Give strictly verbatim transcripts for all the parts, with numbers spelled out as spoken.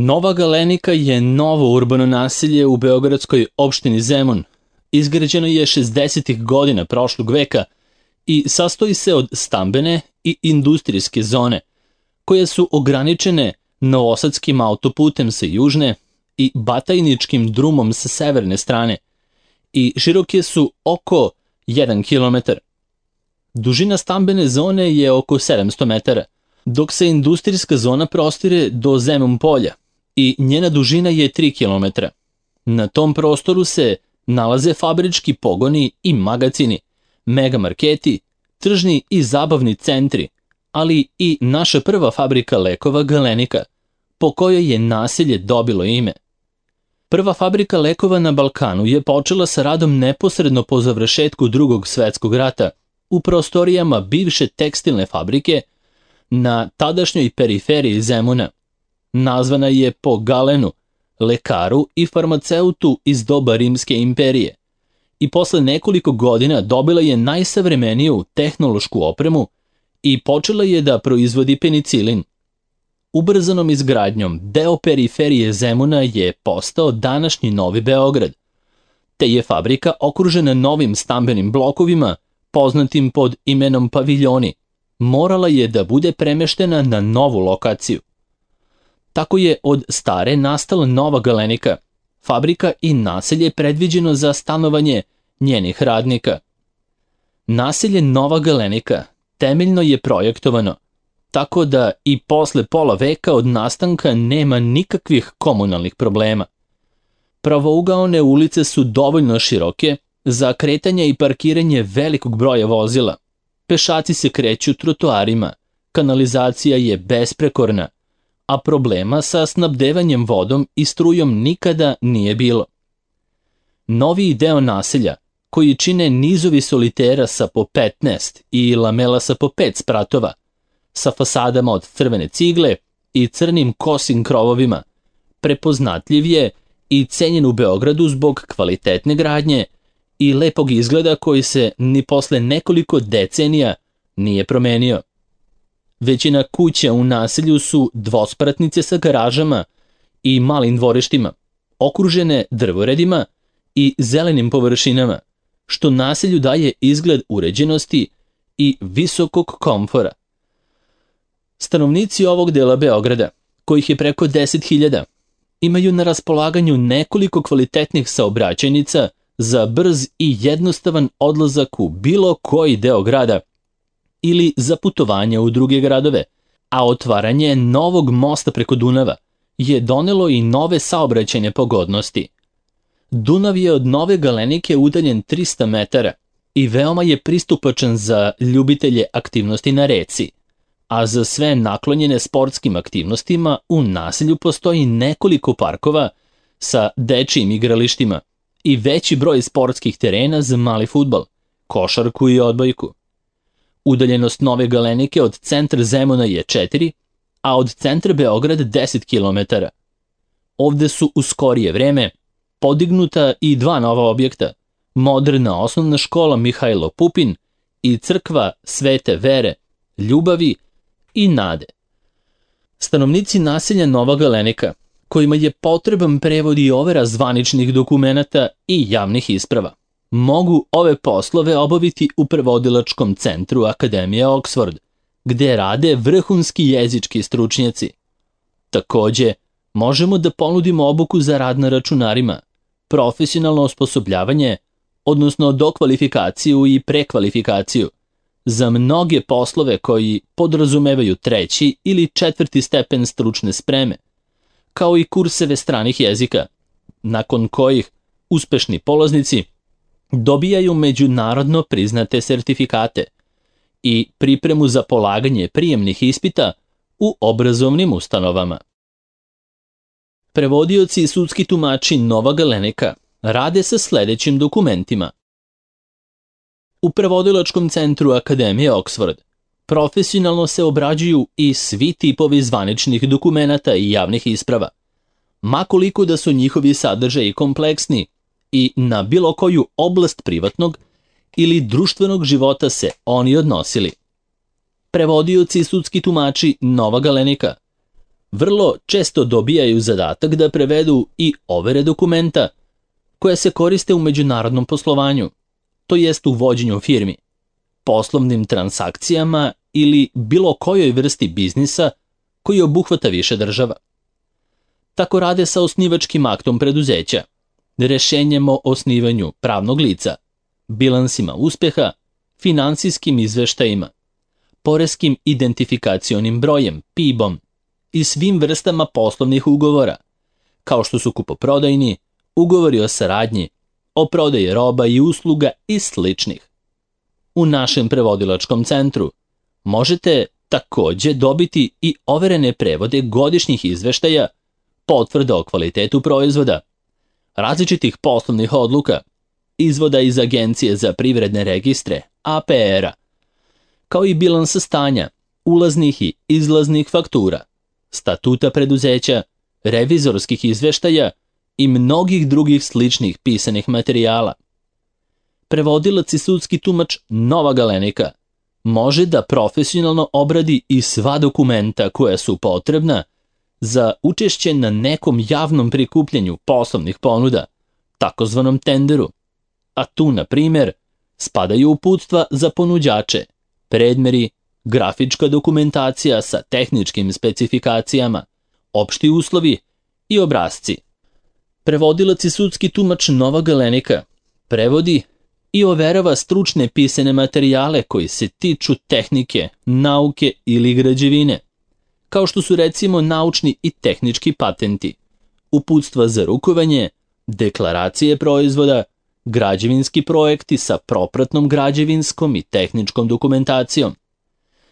Nova Galenika je novo urbano naselje u beogradskoj opštini Zemun. Izgrađeno je šezdesetih godina prošlog veka i sastoji se od stambene i industrijske zone, koje su ograničene Novosadskim autoputem sa južne i Batajničkim drumom sa severne strane i široke su oko jedan kilometar. Dužina stambene zone je oko sedamsto metara, dok se industrijska zona prostire do Zemun polja i njena dužina je tri kilometra. Na tom prostoru se nalaze fabrički pogoni i magacini, megamarketi, tržni i zabavni centri, ali i naša prva fabrika lekova Galenika, po kojoj je naselje dobilo ime. Prva fabrika lekova na Balkanu je počela sa radom neposredno po završetku Drugog svetskog rata u prostorijama bivše tekstilne fabrike na tadašnjoj periferiji Zemuna. Nazvana je po Galenu, lekaru i farmaceutu iz doba Rimske imperije, i posle nekoliko godina dobila je najsavremeniju tehnološku opremu i počela je da proizvodi penicilin. Ubrzanom izgradnjom deo periferije Zemuna je postao današnji Novi Beograd, te je fabrika okružena novim stambenim blokovima, poznatim pod imenom paviljoni, morala je da bude premeštena na novu lokaciju. Tako je od stare nastala Nova Galenika, fabrika i naselje predviđeno za stanovanje njenih radnika. Naselje Nova Galenika temeljno je projektovano, tako da i posle pola veka od nastanka nema nikakvih komunalnih problema. Pravougaone ulice su dovoljno široke za kretanje i parkiranje velikog broja vozila. Pešaci se kreću trotoarima, kanalizacija je besprekorna, a problema sa snabdevanjem vodom i strujom nikada nije bilo. Noviji deo naselja, koji čine nizovi solitera sa po petnaest i lamela sa po pet spratova, sa fasadama od crvene cigle i crnim kosim krovovima, prepoznatljiv je i cenjen u Beogradu zbog kvalitetne gradnje i lepog izgleda koji se ni posle nekoliko decenija nije promenio. Većina kuća u naselju su dvospratnice sa garažama i malim dvorištima, okružene drvoredima i zelenim površinama, što naselju daje izgled uređenosti i visokog komfora. Stanovnici ovog dela Beograda, kojih je preko deset hiljada, imaju na raspolaganju nekoliko kvalitetnih saobraćajnica za brz i jednostavan odlazak u bilo koji deo grada ili za putovanje u druge gradove, a otvaranje novog mosta preko Dunava je donelo i nove saobraćajne pogodnosti. Dunav je od Nove Galenike udaljen trista metara i veoma je pristupačan za ljubitelje aktivnosti na reci, a za sve naklonjene sportskim aktivnostima u naselju postoji nekoliko parkova sa dečijim igralištima i veći broj sportskih terena za mali fudbal, košarku i odbojku. Udaljenost Nove Galenike od centra Zemuna je četiri, a od centra Beograda deset kilometara. Ovde su u skorije vreme podignuta i dva nova objekta, moderna osnovna škola Mihajlo Pupin i crkva Svete Vere, Ljubavi i Nade. Stanovnici naselja Nova Galenika, kojima je potreban prevod i overa zvaničnih dokumenata i javnih isprava, mogu ove poslove obaviti u prevodilačkom centru Akademije Oxford, gde rade vrhunski jezički stručnjaci. Takođe, možemo da ponudimo obuku za rad na računarima, profesionalno osposobljavanje, odnosno dokvalifikaciju i prekvalifikaciju, za mnoge poslove koji podrazumevaju treći ili četvrti stepen stručne spreme, kao i kurseve stranih jezika, nakon kojih uspešni polaznici dobijaju međunarodno priznate sertifikate i pripremu za polaganje prijemnih ispita u obrazovnim ustanovama. Prevodioci i sudski tumači Nova Galenika rade sa sledećim dokumentima. U prevodilačkom centru Akademije Oxford profesionalno se obrađuju i svi tipovi zvaničnih dokumenata i javnih isprava, makoliko da su njihovi sadržaji kompleksni i na bilo koju oblast privatnog ili društvenog života se oni odnosili. Prevodioci i sudski tumači Nova Galenika vrlo često dobijaju zadatak da prevedu i overe dokumenta koja se koriste u međunarodnom poslovanju, to jest u vođenju firmi, poslovnim transakcijama ili bilo kojoj vrsti biznisa koji obuhvata više država. Tako rade sa osnivačkim aktom preduzeća, rešenjem o osnivanju pravnog lica, bilansima uspeha, finansijskim izveštajima, poreskim identifikacionim brojem, P I B-om i svim vrstama poslovnih ugovora, kao što su kupoprodajni, ugovori o saradnji, o prodaji roba i usluga i sličnih. U našem prevodilačkom centru možete takođe dobiti i overene prevode godišnjih izveštaja, potvrda o kvalitetu proizvoda, različitih poslovnih odluka, izvoda iz Agencije za privredne registre, A P R-a, kao i bilansa stanja, ulaznih i izlaznih faktura, statuta preduzeća, revizorskih izveštaja i mnogih drugih sličnih pisanih materijala. Prevodilac i sudski tumač Nova Galenika može da profesionalno obradi i sva dokumenta koja su potrebna za učešće na nekom javnom prikupljanju poslovnih ponuda, takozvanom tenderu, a tu, na primjer, spadaju uputstva za ponuđače, predmeri, grafička dokumentacija sa tehničkim specifikacijama, opšti uslovi i obrasci. Prevodilac i sudski tumač Nova Galenika prevodi i overava stručne pisane materijale koji se tiču tehnike, nauke ili građevine, kao što su recimo naučni i tehnički patenti, uputstva za rukovanje, deklaracije proizvoda, građevinski projekti sa propratnom građevinskom i tehničkom dokumentacijom,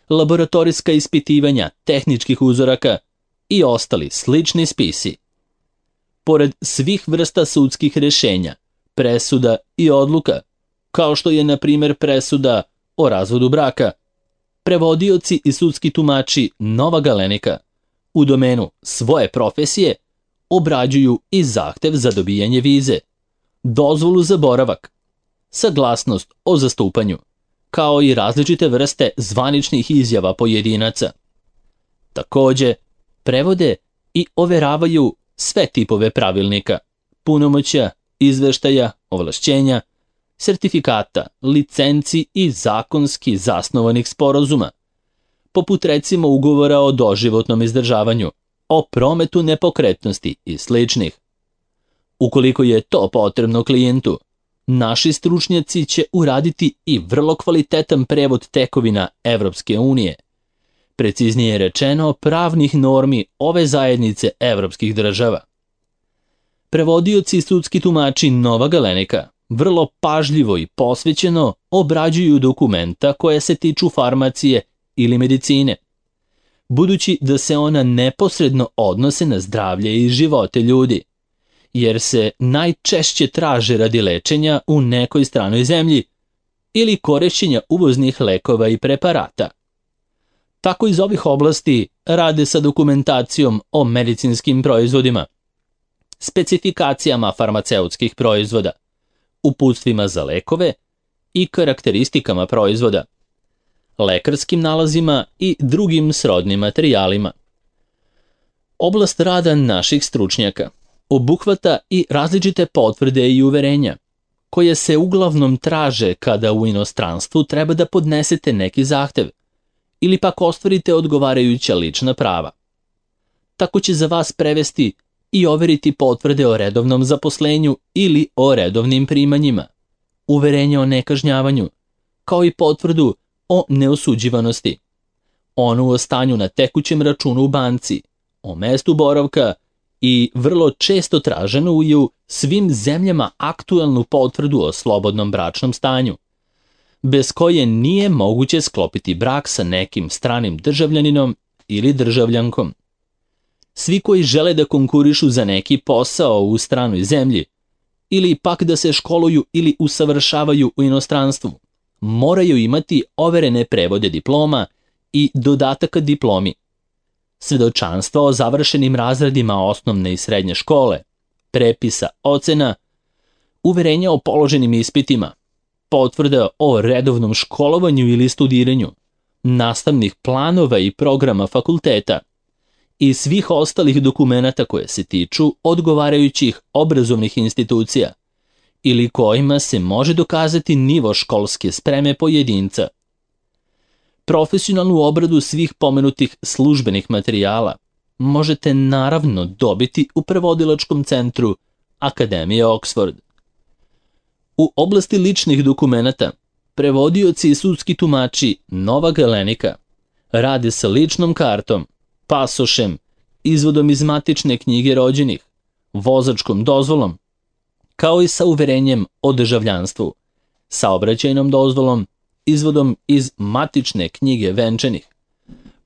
laboratorijska ispitivanja tehničkih uzoraka i ostali slični spisi. Pored svih vrsta sudskih rešenja, presuda i odluka, kao što je, na primjer, presuda o razvodu braka, prevodioci i sudski tumači Nova Galenika u domenu svoje profesije obrađuju i zahtev za dobijanje vize, dozvolu za boravak, saglasnost o zastupanju, kao i različite vrste zvaničnih izjava pojedinaca. Takođe, prevode i overavaju sve tipove pravilnika, punomoćja, izveštaja, ovlašćenja, sertifikata, licenci i zakonski zasnovanih sporazuma, poput recimo ugovora o doživotnom izdržavanju, o prometu nepokretnosti i sličnih. Ukoliko je to potrebno klijentu, naši stručnjaci će uraditi i vrlo kvalitetan prevod tekovina Evropske unije, preciznije rečeno pravnih normi ove zajednice evropskih država. Prevodioci i sudski tumači Nova Galenika vrlo pažljivo i posvećeno obrađuju dokumenta koje se tiču farmacije ili medicine, budući da se ona neposredno odnose na zdravlje i živote ljudi, jer se najčešće traže radi lečenja u nekoj stranoj zemlji ili korišćenja uvoznih lekova i preparata. Tako iz ovih oblasti rade sa dokumentacijom o medicinskim proizvodima, specifikacijama farmaceutskih proizvoda, uputstvima za lekove i karakteristikama proizvoda, lekarskim nalazima i drugim srodnim materijalima. Oblast rada naših stručnjaka obuhvata i različite potvrde i uverenja, koje se uglavnom traže kada u inostranstvu treba da podnesete neki zahtev ili pak ostvarite odgovarajuća lična prava. Tako će za vas prevesti i overiti potvrde o redovnom zaposlenju ili o redovnim primanjima, uverenje o nekažnjavanju, kao i potvrdu o neosuđivanosti, onu o stanju na tekućem računu u banci, o mestu boravka i vrlo često traženu i u svim zemljama aktuelnu potvrdu o slobodnom bračnom stanju, bez koje nije moguće sklopiti brak sa nekim stranim državljaninom ili državljankom. Svi koji žele da konkurišu za neki posao u stranoj zemlji ili pak da se školuju ili usavršavaju u inostranstvu, moraju imati overene prevode diploma i dodataka diplomi, svedočanstva o završenim razredima osnovne i srednje škole, prepisa ocena, uverenja o položenim ispitima, potvrda o redovnom školovanju ili studiranju, nastavnih planova i programa fakulteta i svih ostalih dokumenata koje se tiču odgovarajućih obrazovnih institucija ili kojima se može dokazati nivo školske spreme pojedinca. Profesionalnu obradu svih pomenutih službenih materijala možete naravno dobiti u prevodilačkom centru Akademije Oxford. U oblasti ličnih dokumenata, prevodioci i sudski tumači Nova Galenika rade sa ličnom kartom, pasošem, izvodom iz matične knjige rođenih, vozačkom dozvolom, kao i sa uverenjem o državljanstvu, saobraćajnom dozvolom, izvodom iz matične knjige venčanih,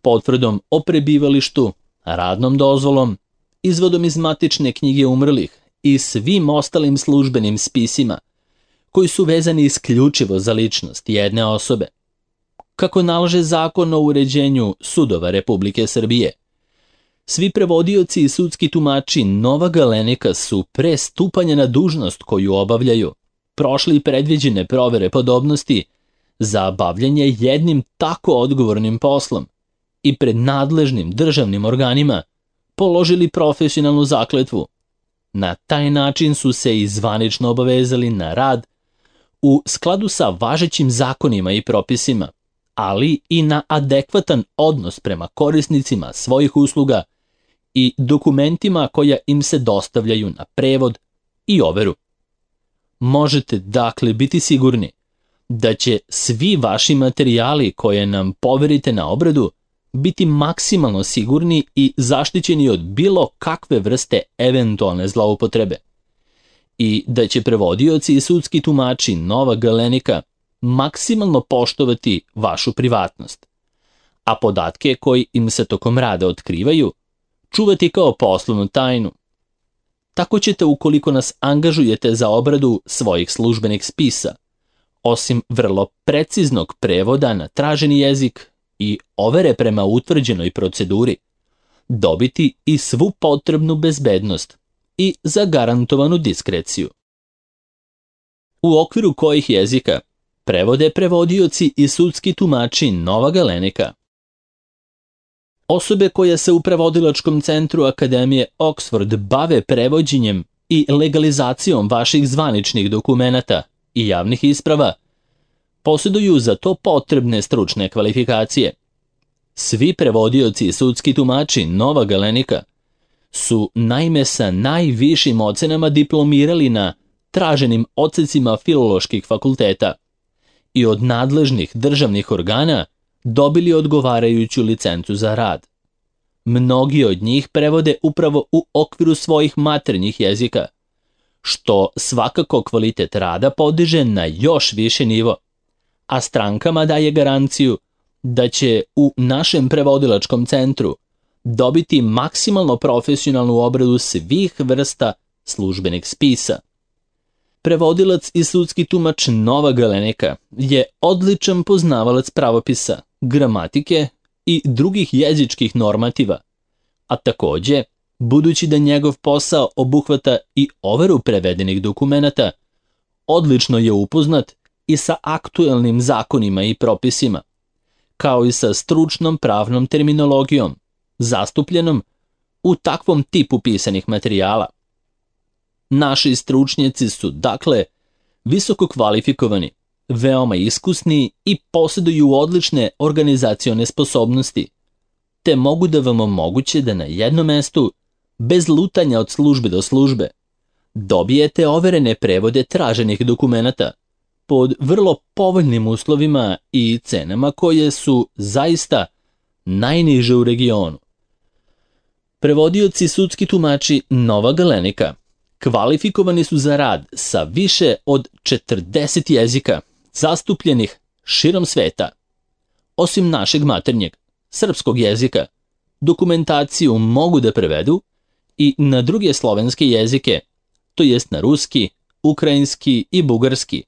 potvrdom o prebivalištu, radnom dozvolom, izvodom iz matične knjige umrlih i svim ostalim službenim spisima koji su vezani isključivo za ličnost jedne osobe. Kako nalaže Zakon o uređenju sudova Republike Srbije, svi prevodioci i sudski tumači Nova Galenika su pre stupanja na dužnost koju obavljaju prošli predviđene provere podobnosti za bavljanje jednim tako odgovornim poslom i pred nadležnim državnim organima položili profesionalnu zakletvu. Na taj način su se i zvanično obavezali na rad u skladu sa važećim zakonima i propisima, ali i na adekvatan odnos prema korisnicima svojih usluga i dokumentima koja im se dostavljaju na prevod i overu. Možete dakle biti sigurni da će svi vaši materijali koje nam poverite na obradu biti maksimalno sigurni i zaštićeni od bilo kakve vrste eventualne zloupotrebe i da će prevodioci i sudski tumači Nova Galenika maksimalno poštovati vašu privatnost, a podatke koji im se tokom rada otkrivaju čuvati kao poslovnu tajnu. Tako ćete, ukoliko nas angažujete za obradu svojih službenih spisa, osim vrlo preciznog prevoda na traženi jezik i overe prema utvrđenoj proceduri, dobiti i svu potrebnu bezbednost i zagarantovanu diskreciju. U okviru kojih jezika prevode prevodioci i sudski tumači Nova Galenika. Osobe koje se u prevodilačkom centru Akademije Oxford bave prevođenjem i legalizacijom vaših zvaničnih dokumenata i javnih isprava posjeduju za to potrebne stručne kvalifikacije. Svi prevodioci i sudski tumači Nova Galenika su naime sa najvišim ocenama diplomirali na traženim odsecima filoloških fakulteta i od nadležnih državnih organa dobili odgovarajuću licencu za rad. Mnogi od njih prevode upravo u okviru svojih maternjih jezika, što svakako kvalitet rada podiže na još više nivo, a strankama daje garanciju da će u našem prevodilačkom centru dobiti maksimalno profesionalnu obradu svih vrsta službenih spisa. Prevodilac i sudski tumač Nova Galenika je odličan poznavalac pravopisa, gramatike i drugih jezičkih normativa, a takođe, budući da njegov posao obuhvata i overu prevedenih dokumenata, odlično je upoznat i sa aktuelnim zakonima i propisima, kao i sa stručnom pravnom terminologijom, zastupljenom u takvom tipu pisanih materijala. Naši stručnjaci su, dakle, visoko kvalifikovani, veoma iskusni i posjeduju odlične organizacione sposobnosti, te mogu da vam omoguće da na jednom mestu, bez lutanja od službe do službe, dobijete overene prevode traženih dokumenata pod vrlo povoljnim uslovima i cenama koje su zaista najniže u regionu. Prevodioci i sudski tumači Nova Galenika kvalifikovani su za rad sa više od četrdeset jezika zastupljenih širom sveta. Osim našeg maternjeg, srpskog jezika, dokumentaciju mogu da prevedu i na druge slovenske jezike, to jest na ruski, ukrajinski i bugarski,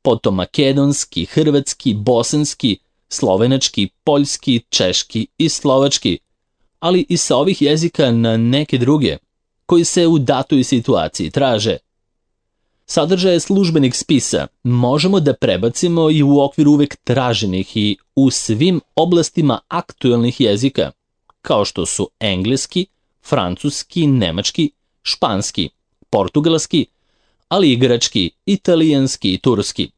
potom makedonski, hrvatski, bosanski, slovenački, poljski, češki i slovački, ali i sa ovih jezika na neke druge, koji se u datoj situaciji traže. Sadržaje službenih spisa možemo da prebacimo i u okviru uvek traženih i u svim oblastima aktuelnih jezika, kao što su engleski, francuski, nemački, španski, portugalski, ali i grčki, italijanski i turski,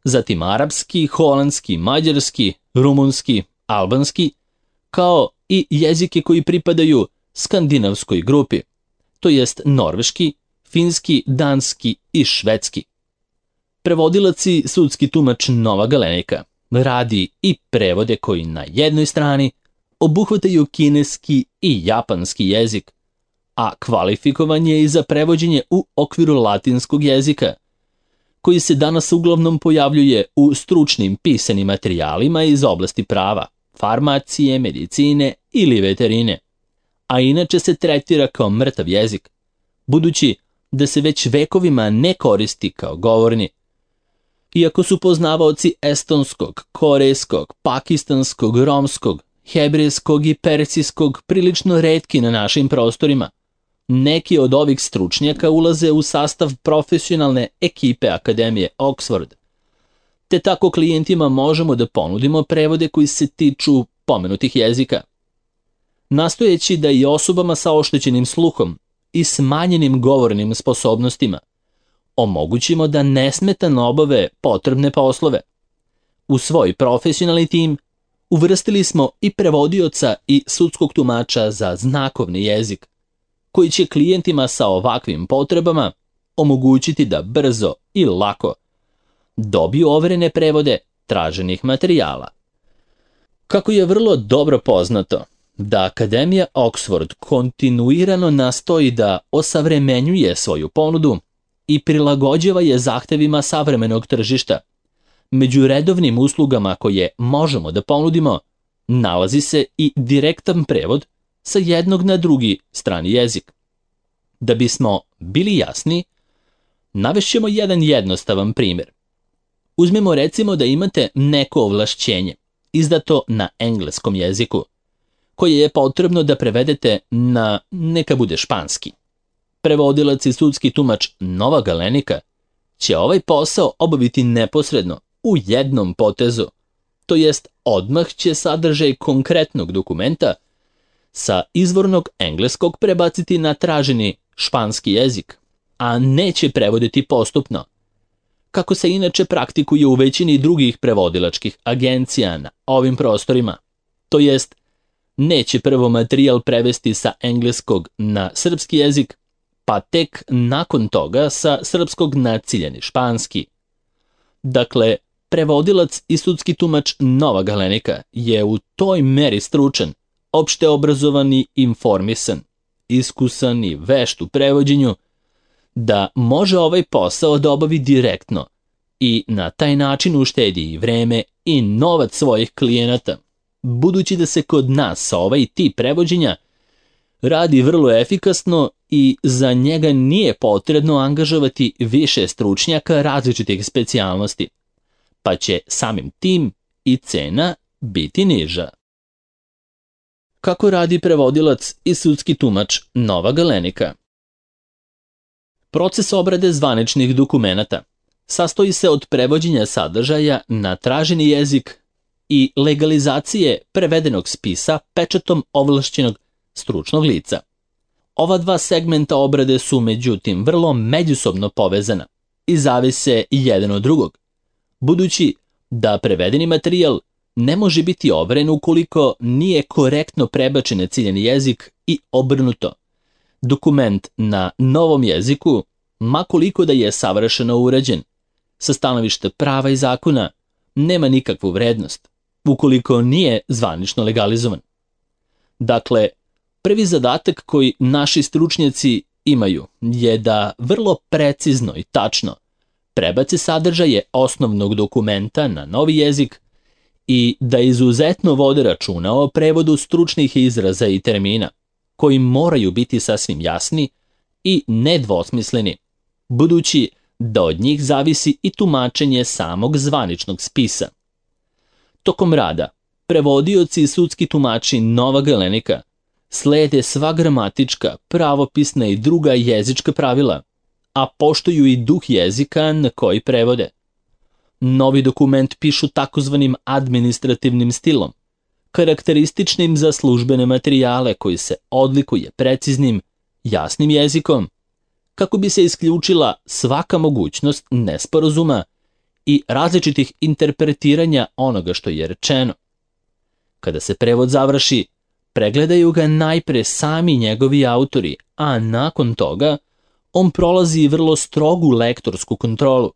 zatim arapski, holandski, mađarski, rumunski, albanski, kao i jezike koji pripadaju skandinavskoj grupi, to jest norveški, finski, danski i švedski. Prevodilac i sudski tumač Nova Galenika radi i prevode koji na jednoj strani obuhvataju kineski i japanski jezik, a kvalifikovan je i za prevođenje u okviru latinskog jezika, koji se danas uglavnom pojavljuje u stručnim pisanim materijalima iz oblasti prava, farmacije, medicine ili veterine, a inače se tretira kao mrtav jezik, budući da se već vekovima ne koristi kao govorni. Iako su poznavaoci estonskog, korejskog, pakistanskog, romskog, hebrejskog i persijskog prilično retki na našim prostorima, neki od ovih stručnjaka ulaze u sastav profesionalne ekipe Akademije Oxford, te tako klijentima možemo da ponudimo prevode koji se tiču pomenutih jezika. Nastojeći da i osobama sa oštećenim sluhom i smanjenim govornim sposobnostima omogućimo da nesmetano obave potrebne poslove. U svoj profesionalni tim uvrstili smo i prevodioca i sudskog tumača za znakovni jezik, koji će klijentima sa ovakvim potrebama omogućiti da brzo i lako dobiju overene prevode traženih materijala. Kako je vrlo dobro poznato da Akademija Oxford kontinuirano nastoji da osavremenjuje svoju ponudu i prilagođava je zahtevima savremenog tržišta, među redovnim uslugama koje možemo da ponudimo nalazi se i direktan prevod sa jednog na drugi strani jezik. Da bismo bili jasni, navešćemo jedan jednostavan primjer. Uzmimo recimo da imate neko ovlašćenje, izdato na engleskom jeziku, koje je potrebno da prevedete na, neka bude španski. Prevodilac i sudski tumač Nova Galenika će ovaj posao obaviti neposredno, u jednom potezu, to jest odmah će sadržaj konkretnog dokumenta sa izvornog engleskog prebaciti na traženi španski jezik, a neće prevoditi postupno, kako se inače praktikuje u većini drugih prevodilačkih agencija na ovim prostorima, to jest neće prvo materijal prevesti sa engleskog na srpski jezik, pa tek nakon toga sa srpskog na ciljani španski. Dakle, prevodilac i sudski tumač Nova Galenika je u toj meri stručan, opšte obrazovan i informisan, iskusan i vešt u prevođenju, da može ovaj posao da obavi direktno i na taj način uštedi i vreme i novac svojih klijenata, budući da se kod nas ovaj tip prevođenja radi vrlo efikasno i za njega nije potrebno angažovati više stručnjaka različitih specijalnosti, pa će samim tim i cena biti niža. Kako radi prevodilac i sudski tumač Nova Galenika? Proces obrade zvaničnih dokumenata sastoji se od prevođenja sadržaja na traženi jezik i legalizacije prevedenog spisa pečatom ovlašćenog stručnog lica. Ova dva segmenta obrade su međutim vrlo međusobno povezana i zavise jedan od drugog, budući da prevedeni materijal ne može biti overen ukoliko nije korektno prebačen na ciljani jezik i obrnuto. Dokument na novom jeziku, ma koliko da je savršeno urađen, sa stanovišta prava i zakona, nema nikakvu vrednost, ukoliko nije zvanično legalizovan. Dakle, prvi zadatak koji naši stručnjaci imaju je da vrlo precizno i tačno prebace sadržaje osnovnog dokumenta na novi jezik i da izuzetno vode računa o prevodu stručnih izraza i termina, koji moraju biti sasvim jasni i nedvosmisleni, budući da od njih zavisi i tumačenje samog zvaničnog spisa. Tokom rada, prevodioci i sudski tumači Nova Galenika slede sva gramatička, pravopisna i druga jezička pravila, a poštuju i duh jezika na koji prevode. Novi dokument pišu takozvanim administrativnim stilom, karakterističnim za službene materijale koji se odlikuje preciznim, jasnim jezikom, kako bi se isključila svaka mogućnost nesporazuma i različitih interpretiranja onoga što je rečeno. Kada se prevod završi, pregledaju ga najpre sami njegovi autori, a nakon toga on prolazi vrlo strogu lektorsku kontrolu,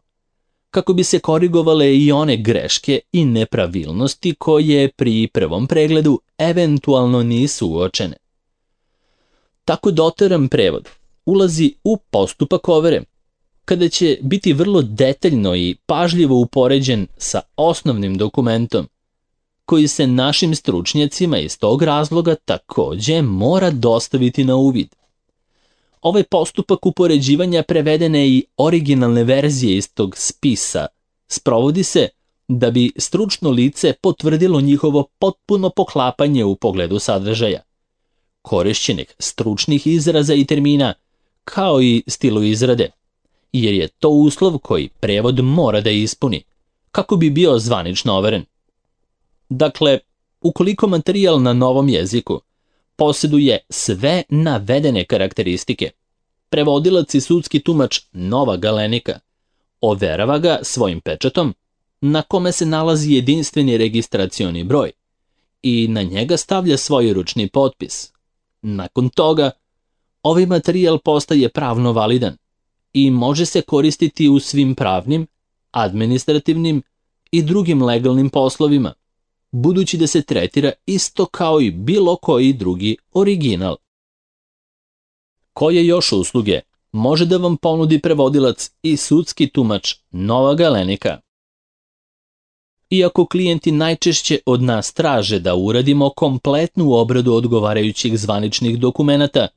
kako bi se korigovale i one greške i nepravilnosti koje pri prvom pregledu eventualno nisu uočene. Tako doteran prevod ulazi u postupak overe, kada će biti vrlo detaljno i pažljivo upoređen sa osnovnim dokumentom, koji se našim stručnjacima iz tog razloga takođe mora dostaviti na uvid. Ovaj postupak upoređivanja prevedene i originalne verzije iz tog spisa sprovodi se da bi stručno lice potvrdilo njihovo potpuno poklapanje u pogledu sadržaja, korišćenih stručnih izraza i termina, kao i stilu izrade, jer je to uslov koji prevod mora da ispuni, kako bi bio zvanično overen. Dakle, ukoliko materijal na novom jeziku posjeduje sve navedene karakteristike, prevodilac i sudski tumač Nova Galenika overava ga svojim pečatom, na kome se nalazi jedinstveni registracioni broj i na njega stavlja svoj ručni potpis. Nakon toga, ovaj materijal postaje pravno validan i može se koristiti u svim pravnim, administrativnim i drugim legalnim poslovima, budući da se tretira isto kao i bilo koji drugi original. Koje još usluge može da vam ponudi prevodilac i sudski tumač Nova Galenika? Iako klijenti najčešće od nas traže da uradimo kompletnu obradu odgovarajućih zvaničnih dokumenata,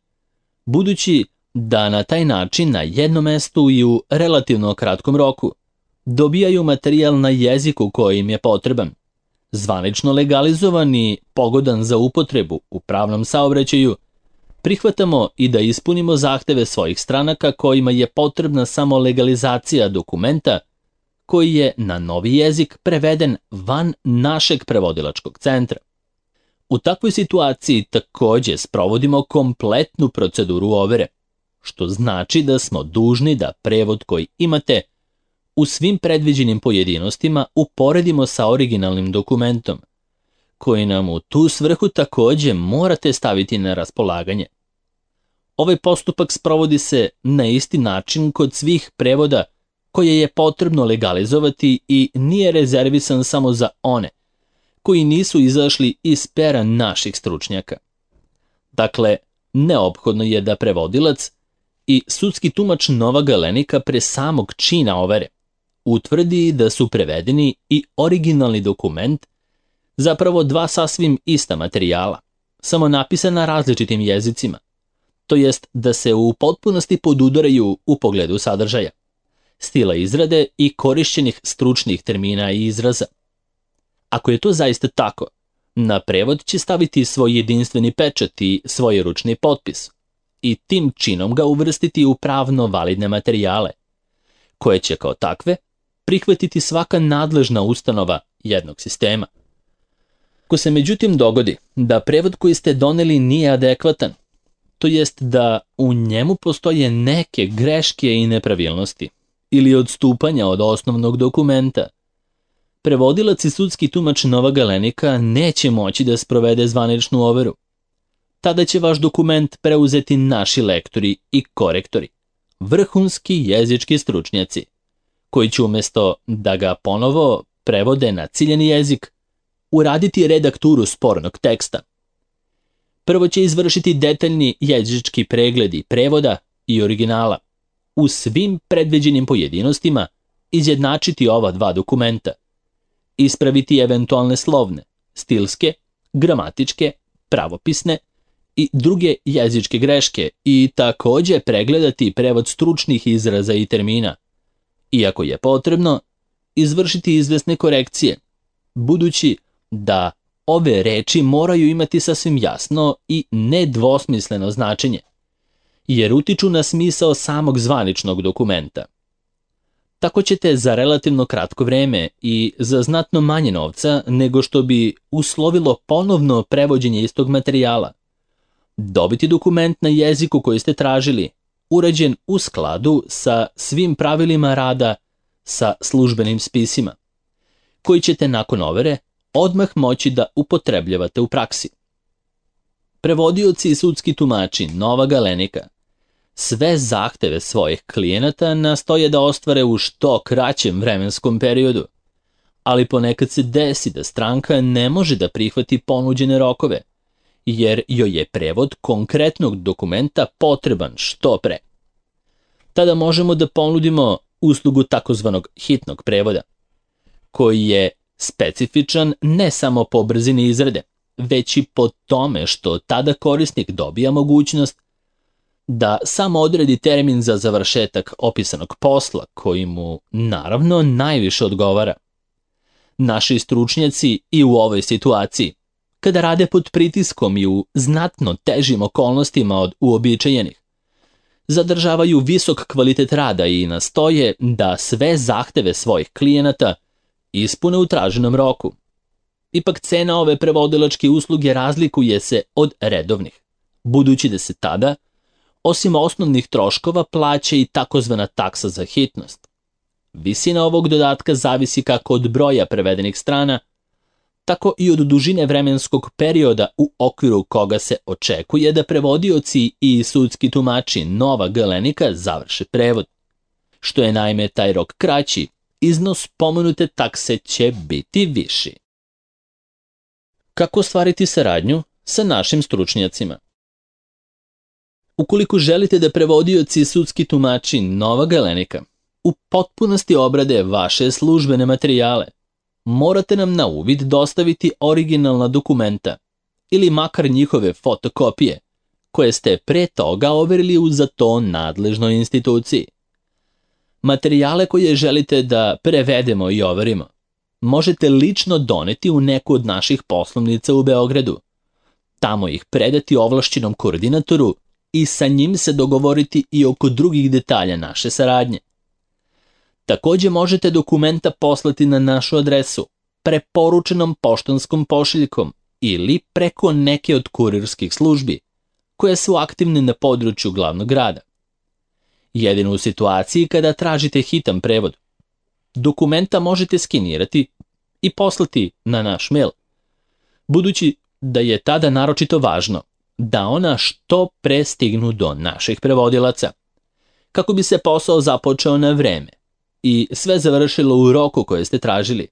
budući da na taj način na jednom mestu i u relativno kratkom roku dobijaju materijal na jeziku koji im je potreban, zvanično legalizovan i pogodan za upotrebu u pravnom saobraćaju, prihvatamo i da ispunimo zahteve svojih stranaka kojima je potrebna samo legalizacija dokumenta koji je na novi jezik preveden van našeg prevodilačkog centra. U takvoj situaciji takođe sprovodimo kompletnu proceduru overe, što znači da smo dužni da prevod koji imate u svim predviđenim pojedinostima uporedimo sa originalnim dokumentom, koji nam u tu svrhu takođe morate staviti na raspolaganje. Ovaj postupak sprovodi se na isti način kod svih prevoda koje je potrebno legalizovati i nije rezervisan samo za one koji nisu izašli iz pera naših stručnjaka. Dakle, neophodno je da prevodilac i sudski tumač Nova Galenika pre samog čina overe utvrdi da su prevedeni i originalni dokument, zapravo dva sasvim ista materijala, samo napisana različitim jezicima, to jest da se u potpunosti podudaraju u pogledu sadržaja, stila izrade i korišćenih stručnih termina i izraza. Ako je to zaista tako, na prevod će staviti svoj jedinstveni pečat i svoj ručni potpis i tim činom ga uvrstiti u pravno validne materijale, koje će kao takve prihvatiti svaka nadležna ustanova jednog sistema. Ako se međutim dogodi da prevod koji ste doneli nije adekvatan, to jest da u njemu postoje neke greške i nepravilnosti ili odstupanja od osnovnog dokumenta, prevodilac i sudski tumač Nova Galenika neće moći da sprovede zvaničnu overu. Tada će vaš dokument preuzeti naši lektori i korektori, vrhunski jezički stručnjaci, koji će umjesto da ga ponovo prevode na ciljeni jezik, uraditi redakturu spornog teksta. Prvo će izvršiti detaljni jezički pregledi prevoda i originala, u svim predviđenim pojedinostima izjednačiti ova dva dokumenta, ispraviti eventualne slovne, stilske, gramatičke, pravopisne i druge jezičke greške i takođe pregledati prevod stručnih izraza i termina, iako je potrebno izvršiti izvesne korekcije, budući da ove reči moraju imati sasvim jasno i nedvosmisleno značenje, jer utiču na smisao samog zvaničnog dokumenta. Tako ćete za relativno kratko vreme i za znatno manje novca nego što bi uslovilo ponovno prevođenje istog materijala dobiti dokument na jeziku koji ste tražili, urađen u skladu sa svim pravilima rada sa službenim spisima, koji ćete nakon overe odmah moći da upotrebljavate u praksi. Prevodioci i sudski tumači Nova Galenika sve zahteve svojih klijenata nastoje da ostvare u što kraćem vremenskom periodu, ali ponekad se desi da stranka ne može da prihvati ponuđene rokove, jer joj je prevod konkretnog dokumenta potreban što pre. Tada možemo da ponudimo uslugu takozvanog hitnog prevoda, koji je specifičan ne samo po brzini izrade, već i po tome što tada korisnik dobija mogućnost da samo odredi termin za završetak opisanog posla koji mu naravno najviše odgovara. Naši stručnjaci i u ovoj situaciji, kada rade pod pritiskom i u znatno težim okolnostima od uobičajenih, zadržavaju visok kvalitet rada i nastoje da sve zahteve svojih klijenata ispune u traženom roku. Ipak cena ove prevodilačke usluge razlikuje se od redovnih, budući da se tada, osim osnovnih troškova, plaća i takozvana taksa za hitnost. Visina ovog dodatka zavisi kako od broja prevedenih strana, tako i od dužine vremenskog perioda u okviru koga se očekuje da prevodioci i sudski tumači Nova Galenika završe prevod. Što je naime taj rok kraći, iznos pomenute takse će biti viši. Kako ostvariti saradnju sa našim stručnjacima? Ukoliko želite da prevodioci i sudski tumači Nova Galenika u potpunosti obrade vaše službene materijale, morate nam na uvid dostaviti originalna dokumenta ili makar njihove fotokopije, koje ste pre toga overili u za to nadležnoj instituciji. Materijale koje želite da prevedemo i overimo možete lično doneti u neku od naših poslovnica u Beogradu, tamo ih predati ovlašćenom koordinatoru i sa njim se dogovoriti i oko drugih detalja naše saradnje. Takođe možete dokumenta poslati na našu adresu preporučenom poštanskom pošiljkom ili preko neke od kurirskih službi koje su aktivne na području glavnog grada. Jedino u situaciji kada tražite hitan prevod, dokumenta možete skenirati i poslati na naš mail, budući da je tada naročito važno da ona što pre stignu do naših prevodilaca, kako bi se posao započeo na vreme i sve završilo u roku koje ste tražili.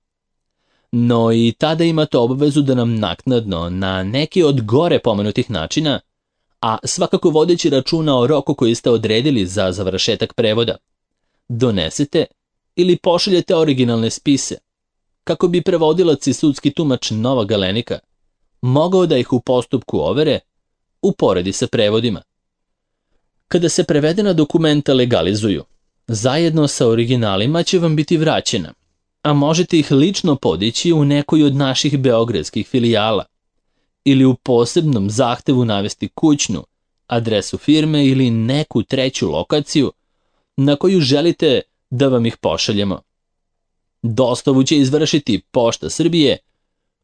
No i tada imate obavezu da nam naknadno na neki od gore pomenutih načina, a svakako vodeći računa o roku koji ste odredili za završetak prevoda, donesete ili pošaljete originalne spise, kako bi prevodilac i sudski tumač Nova Galenika mogao da ih u postupku overe uporedi sa prevodima. Kada se prevedena dokumenta legalizuju, zajedno sa originalima će vam biti vraćena, a možete ih lično podići u nekoj od naših beogradskih filijala ili u posebnom zahtevu navesti kućnu, adresu firme ili neku treću lokaciju na koju želite da vam ih pošaljemo. Dostavu će izvršiti Pošta Srbije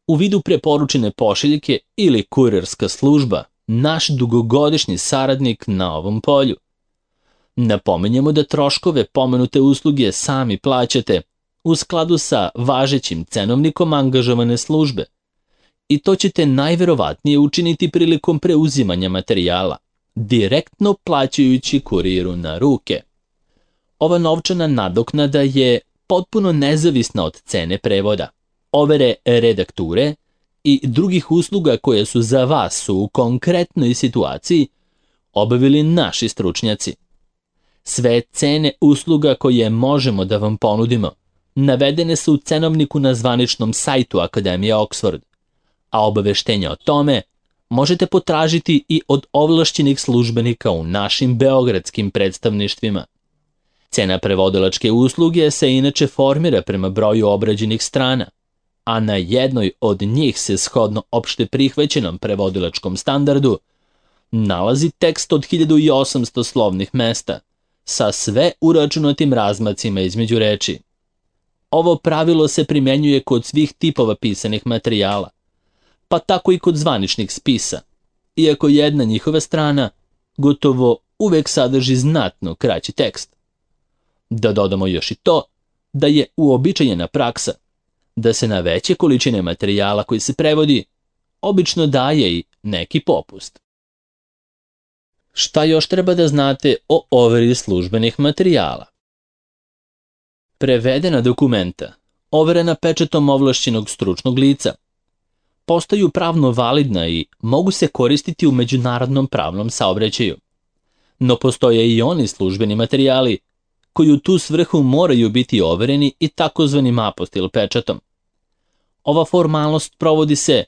u vidu preporučene pošiljke ili kurirska služba, naš dugogodišnji saradnik na ovom polju. Napominjemo da troškove pomenute usluge sami plaćate u skladu sa važećim cenovnikom angažovane službe i to ćete najverovatnije učiniti prilikom preuzimanja materijala, direktno plaćajući kuriru na ruke. Ova novčana nadoknada je potpuno nezavisna od cene prevoda, overe redakture i drugih usluga koje su za vas u konkretnoj situaciji obavili naši stručnjaci. Sve cene usluga koje možemo da vam ponudimo navedene su u cenovniku na zvaničnom sajtu Akademije Oxford, a obaveštenja o tome možete potražiti i od ovlašćenih službenika u našim beogradskim predstavništvima. Cena prevodilačke usluge se inače formira prema broju obrađenih strana, a na jednoj od njih se shodno opšte prihvaćenom prevodilačkom standardu nalazi tekst od hiljadu osamsto slovnih mesta, sa sve uračunatim razmacima između reči. Ovo pravilo se primenjuje kod svih tipova pisanih materijala, pa tako i kod zvaničnih spisa, iako jedna njihova strana gotovo uvek sadrži znatno kraći tekst. Da dodamo još i to da je uobičajena praksa da se na veće količine materijala koji se prevodi obično daje i neki popust. Šta još treba da znate o overi službenih materijala? Prevedena dokumenta, overena pečatom ovlašćenog stručnog lica, postaju pravno validna i mogu se koristiti u međunarodnom pravnom saobraćaju. No postoje i oni službeni materijali koji u tu svrhu moraju biti overeni i takozvanim apostil pečatom. Ova formalnost provodi se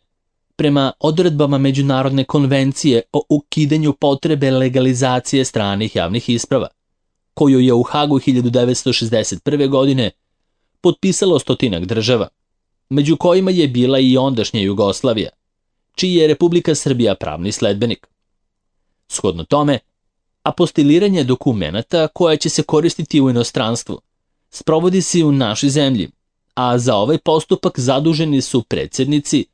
prema odredbama Međunarodne konvencije o ukidanju potrebe legalizacije stranih javnih isprava, koju je u Hagu hiljadu devetsto šezdeset prve. godine potpisalo stotinak država, među kojima je bila i ondašnja Jugoslavija, čiji je Republika Srbija pravni sledbenik. Shodno tome, apostiliranje dokumenata koja će se koristiti u inostranstvu sprovodi se u našoj zemlji, a za ovaj postupak zaduženi su predsjednici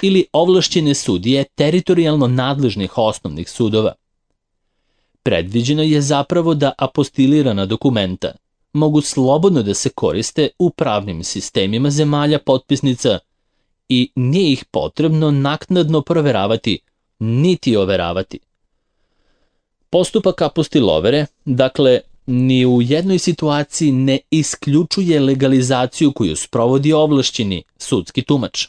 ili ovlašćene sudije teritorijalno nadležnih osnovnih sudova. Predviđeno je zapravo da apostilirana dokumenta mogu slobodno da se koriste u pravnim sistemima zemalja potpisnica i nije ih potrebno naknadno proveravati niti overavati. Postupak apostilovere, dakle, ni u jednoj situaciji ne isključuje legalizaciju koju sprovodi ovlašćeni sudski tumač,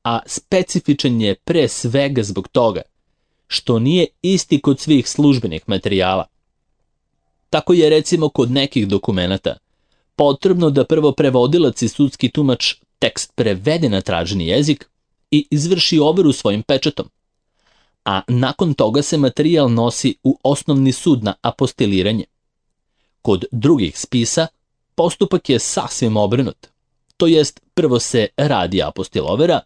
a specifičan je pre svega zbog toga što nije isti kod svih službenih materijala. Tako je recimo kod nekih dokumenata potrebno da prvo prevodilac i sudski tumač tekst prevede na traženi jezik i izvrši overu svojim pečatom, a nakon toga se materijal nosi u osnovni sud na apostiliranje. Kod drugih spisa postupak je sasvim obrnut, to jest prvo se radi apostilovera,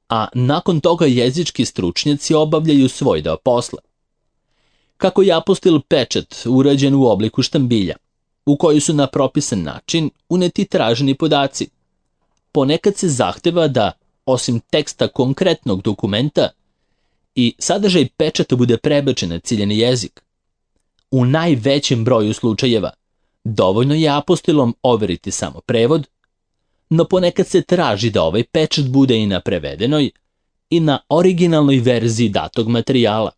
a nakon toga jezički stručnjaci obavljaju svoj deo posla. Kako je apostil pečat urađen u obliku štambilja, u koji su na propisan način uneti traženi podaci, ponekad se zahteva da, osim teksta konkretnog dokumenta, i sadržaj pečata bude prebačen na ciljani jezik. U najvećem broju slučajeva dovoljno je apostilom overiti samo prevod, no ponekad se traži da ovaj pečat bude i na prevedenoj i na originalnoj verziji datog materijala.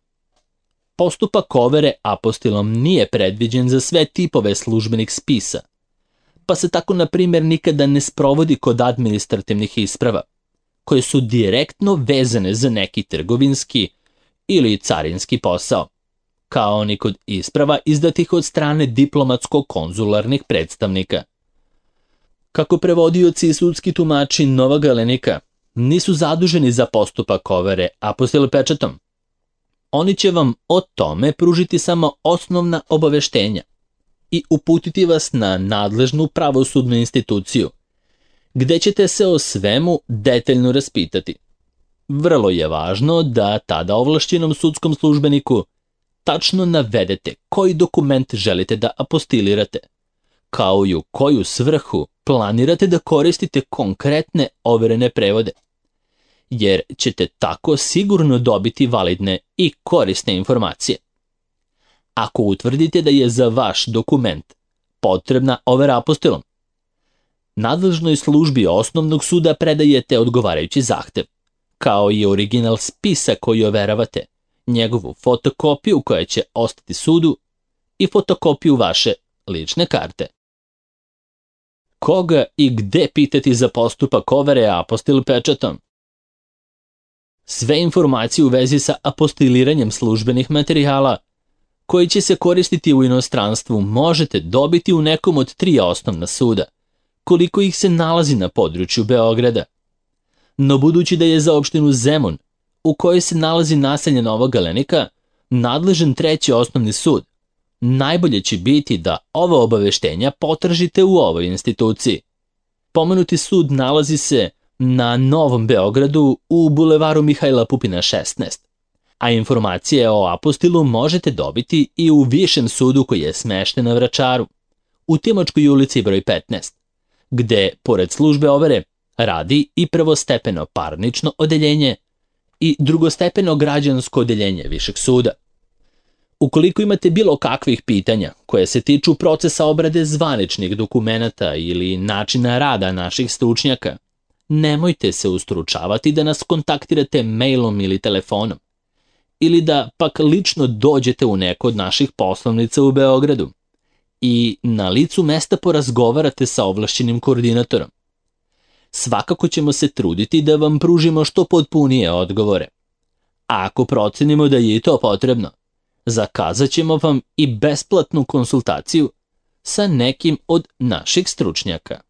Postupak overe apostilom nije predviđen za sve tipove službenih spisa, pa se tako na primjer nikada ne sprovodi kod administrativnih isprava, koje su direktno vezane za neki trgovinski ili carinski posao, kao ni kod isprava izdatih od strane diplomatsko-konzularnih predstavnika. Kako prevodioci i sudski tumači Novog Galenika nisu zaduženi za postupak overe apostil pečatom, oni će vam o tome pružiti samo osnovna obaveštenja i uputiti vas na nadležnu pravosudnu instituciju, gde ćete se o svemu detaljno raspitati. Vrlo je važno da tada ovlašćenom sudskom službeniku tačno navedete koji dokument želite da apostilirate, kao i u koju svrhu planirate da koristite konkretne overene prevode, jer ćete tako sigurno dobiti validne i korisne informacije. Ako utvrdite da je za vaš dokument potrebna overa apostilom, nadležnoj službi osnovnog suda predajete odgovarajući zahtev, kao i original spisa koji overavate, njegovu fotokopiju koja će ostati sudu i fotokopiju vaše lične karte. Koga i gde pitati za postupak overe apostil pečatom? Sve informacije u vezi sa apostiliranjem službenih materijala koji će se koristiti u inostranstvu možete dobiti u nekom od tri osnovna suda, koliko ih se nalazi na području Beograda. No budući da je za opštinu Zemun, u kojoj se nalazi naselje Novog Galenika, nadležan treći osnovni sud, najbolje će biti da ova obaveštenja potražite u ovoj instituciji. Pomenuti sud nalazi se na Novom Beogradu u bulevaru Mihajla Pupina šesnaest, A informacije o apostilu možete dobiti i u Višem sudu koji je smešten na Vračaru, u Timočkoj ulici broj petnaest, gde, pored službe overe, radi i prvostepeno parnično odeljenje i drugostepeno građansko odeljenje Višeg suda. Ukoliko imate bilo kakvih pitanja koje se tiču procesa obrade zvaničnih dokumenata ili načina rada naših stručnjaka, nemojte se ustručavati da nas kontaktirate mailom ili telefonom, ili da pak lično dođete u neko od naših poslovnica u Beogradu i na licu mesta porazgovarate sa ovlašćenim koordinatorom. Svakako ćemo se truditi da vam pružimo što potpunije odgovore. A ako procenimo da je i to potrebno, zakazat ćemo vam i besplatnu konsultaciju sa nekim od naših stručnjaka.